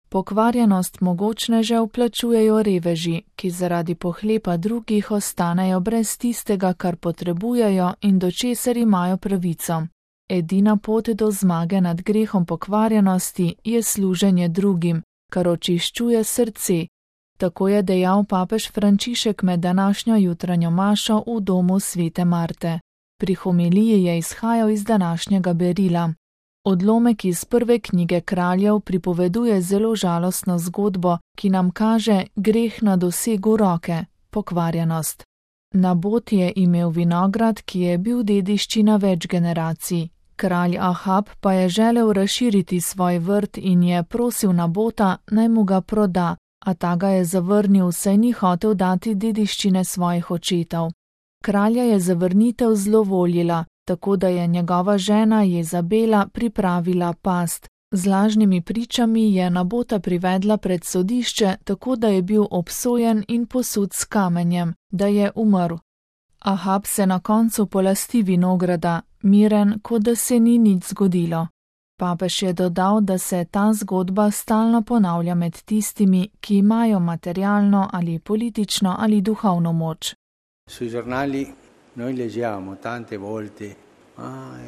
Pokvarjenost mogočnežev plačujejo reveži, ki zaradi pohlepa drugih ostanejo brez tistega, kar potrebujejo in do česar imajo pravico. Edina pot do zmage nad grehom pokvarjenosti je služenje drugim, kar očiščuje srce. Tako je dejal papež Frančišek med današnjo jutranjo mašo v domu svete Marte. Pri homiliji je izhajal iz današnjega berila. Odlomek iz prve knjige Kraljev pripoveduje zelo žalostno zgodbo, ki nam kaže greh na dosegu roke, pokvarjenost. Nabot je imel vinograd, ki je bil dediščina več generacij. Kralj Ahab pa je želel razširiti svoj vrt in je prosil Nabota, naj mu ga proda, a ta ga je zavrnil, saj ni hotel dati dediščine svojih očetov. Kralja je zavrnitev zlovoljila, tako da je njegova žena Jezabela pripravila past. Z lažnimi pričami je Nabota privedla pred sodišče, tako da je bil obsojen in posut s kamenjem, da je umrl. Ahab se na koncu polasti vinograda, miren, kot da se ni nič zgodilo. Papež je dodal, da se ta zgodba stalno ponavlja med tistimi, ki imajo materialno ali politično ali duhovno moč. Sui giornali noi leggiamo tante volte,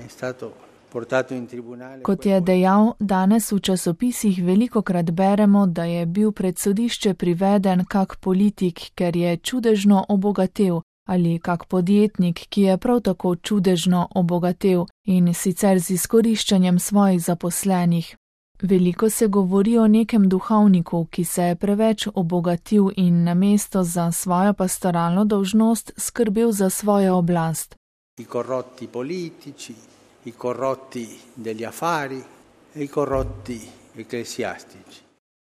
è stato portato in tribunale. Kot je dejal, danes v časopisih velikokrat beremo, da je bil pred sodišče priveden kak politik, ker je čudežno obogatel, ali kak podjetnik, ki je prav tako čudežno obogatel in sicer z izkoriščanjem svojih zaposlenih. Veliko se govori o nekem duhovniku, ki se je preveč obogatil in namesto za svojo pastoralno dolžnost skrbel za svojo oblast. I corrotti politici, i corrotti degli affari e i corrotti ecclesiastici.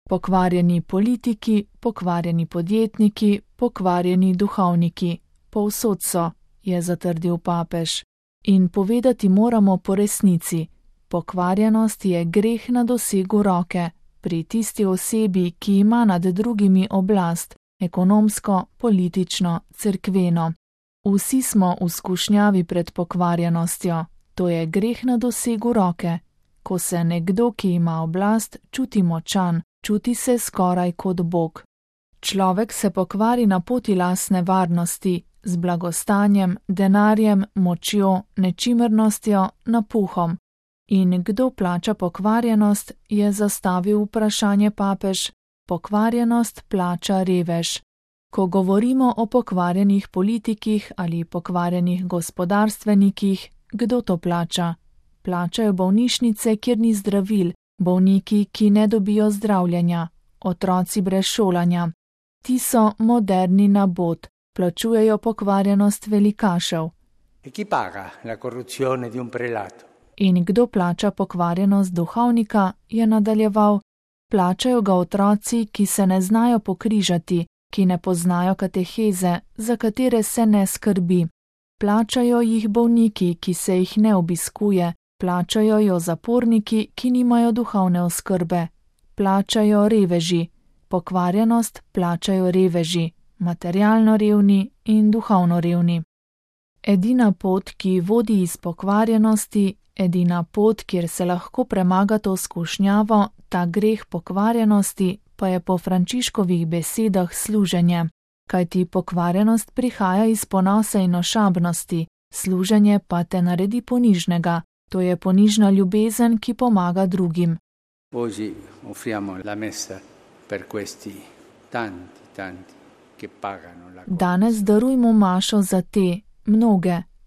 Pokvarjeni politiki, pokvarjeni podjetniki, pokvarjeni duhovniki. Povsod so, je zatrdil papež. In povedati moramo po resnici. Pokvarjenost je greh na dosegu roke, pri tisti osebi, ki ima nad drugimi oblast, ekonomsko, politično, cerkveno. Vsi smo v skušnjavi pred pokvarjenostjo, to je greh na dosegu roke. Ko se nekdo, ki ima oblast, čuti močan, čuti se skoraj kot Bog. Človek se pokvari na poti lastne varnosti, z blagostanjem, denarjem, močjo, nečimrnostjo, napuhom. In kdo plača pokvarjenost, je zastavil vprašanje papež. Pokvarjenost plača revež. Ko govorimo o pokvarjenih politikih ali pokvarjenih gospodarstvenikih, kdo to plača? Plačajo bolnišnice, kjer ni zdravil, bolniki, ki ne dobijo zdravljenja, otroci brez šolanja. Ti so moderni nabot, plačujejo pokvarjenost velikašev. E chi paga la corruzione di un prelato? In kdo plača pokvarjenost duhovnika, je nadaljeval. Plačajo ga otroci, ki se ne znajo pokrižati, ki ne poznajo kateheze, za katere se ne skrbi. Plačajo jih bolniki, ki se jih ne obiskuje, plačajo jo zaporniki, ki nimajo duhovne oskrbe. Plačajo reveži. Pokvarjenost plačajo reveži, materialno revni in duhovno revni. Edina pot, ki vodi iz pokvarjenosti, edina pot, kjer se lahko premaga to skušnjavo, ta greh pokvarjenosti, pa je po Frančiškovih besedah služenje, kajti pokvarjenost prihaja iz ponosa in ošabnosti, služenje pa te naredi ponižnega, to je ponižna ljubezen, ki pomaga drugim. Oggi offriamo la messa per questi tanti che pagano la. Danes darujmo mašo za te,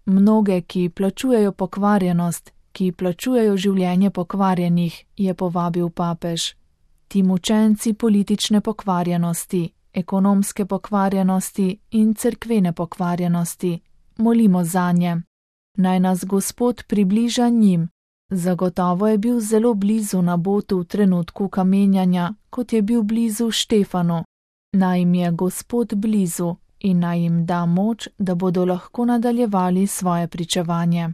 mnoge, ki plačujejo pokvarjenost, ki plačujejo življenje pokvarjenih, je povabil papež. Ti mučenci politične pokvarjenosti, ekonomske pokvarjenosti in cerkvene pokvarjenosti, molimo zanje. Naj nas Gospod približa njim. Zagotovo je bil zelo blizu Nabotu v trenutku kamenjanja, kot je bil blizu Štefanu. Naj jim je Gospod blizu in naj jim da moč, da bodo lahko nadaljevali svoje pričevanje.